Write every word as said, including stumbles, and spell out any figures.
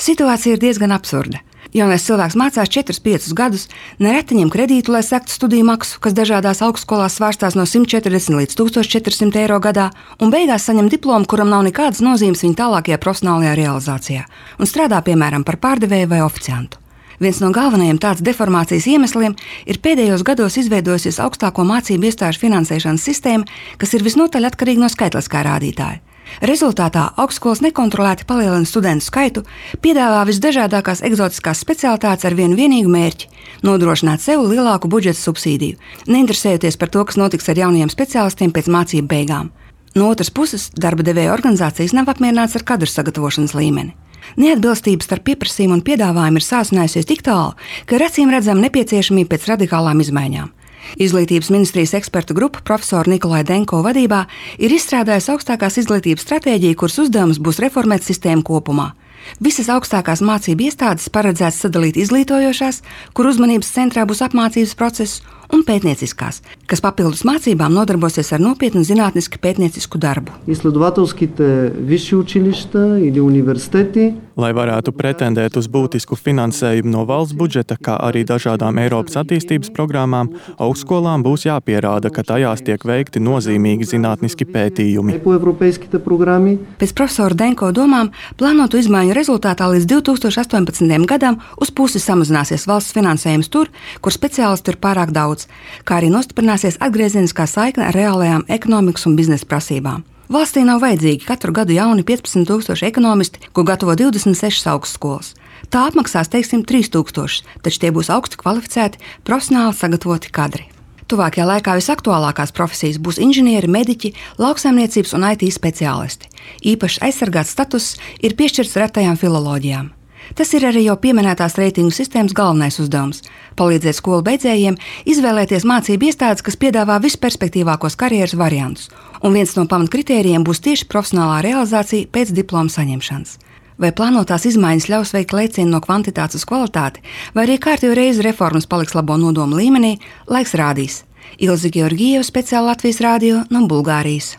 Situācija ir diezgan absurda. Jaunais cilvēks mācās četrus piecus gadus, nereti ņem kredītu, lai sektu studiju maksu, kas dažādās augstskolās svārstās no simt četrdesmit līdz tūkstoš četri simti eiro gadā, un beigās saņem diplomu, kuram nav nekādas nozīmes viņa tālākajā profesionālajā realizācijā, un strādā piemēram par pārdevēju vai oficiantu. Viens no galvenajiem tādas deformācijas iemesliem ir pēdējos gados izveidojusies augstāko mācību iestāžu finansēšanas sistēma, kas ir visnotaļ atkarīga no skaitliskā rādītāja. Rezultātā augstskolas nekontrolēti palielina studentu skaitu, piedāvā visdažādākās eksotiskās specialitātes ar vienu vienīgu mērķi – nodrošināt sev lielāku budžeta subsīdiju, neinteresējoties par to, kas notiks ar jaunajiem speciālistiem pēc mācību beigām. No otras puses, darba devēja organizācijas nav apmierināts ar kadru sagatavošanas līmeni. Neatbilstība starp pieprasījumu un piedāvājumu ir sāsinājusies tik tālu, ka ir acīm redzama nepieciešamība pēc radikālām izmaiņām. Izglītības ministrijas ekspertu grupa profesora Nikolai Denko vadībā ir izstrādājusi augstākās izglītības stratēģiju, kuras uzdevums būs reformēt sistēmu kopumā. Visas augstākās mācību iestādes paredzēts sadalīt izglītojošās, kur uzmanības centrā būs apmācības process, un pētnieciskās, kas papildus mācībām nodarbosies ar nopietnu zinātnisku pētniecisku darbu. Lai varētu pretendēt uz būtisku finansējumu no valsts budžeta, kā arī dažādām Eiropas attīstības programmām, augstskolām būs jāpierāda, ka tajās tiek veikti nozīmīgi zinātniski pētījumi. Pēc profesora Denko domām, plānotu izmaiņu rezultātā līdz divi tūkstoši astoņpadsmitajam gadam uz pusi samazināsies valsts finansējums tur, kur speciālistu ir pārāk daudz, kā arī nostiprināsies atgriezieniskā saikne ar reālajām ekonomikas un biznesa prasībām. Valstī nav vajadzīgi katru gadu jauni piecpadsmit tūkstoši ekonomisti, ko gatavo divdesmit sešas augstskolas. Tā apmaksās, teiksim, trīs tūkstoši, taču tie būs augsti kvalificēti, profesionāli sagatavoti kadri. Tuvākajā laikā visaktuālākās profesijas būs inženieri, mediķi, lauksaimniecības un I T speciālisti. Īpaši aizsargāts status ir piešķirts retajām filoloģijām. Tas ir arī jau pieminētās reitingu sistēmas galvenais uzdevums – palīdzēt skolu beidzējiem izvēlēties mācību iestādes, kas piedāvā visperspektīvākos karjeras variantus, un viens no pamatkritērijiem būs tieši profesionālā realizācija pēc diploma saņemšanas. Vai plānotās izmaiņas ļaus veikt lēcienu no kvantitātes uz kvalitāti, vai arī kārtējo reizi reformas paliks labo nodomu līmenī, laiks rādīs. Ilze Georgieva, speciāli Latvijas radio no Bulgārijas.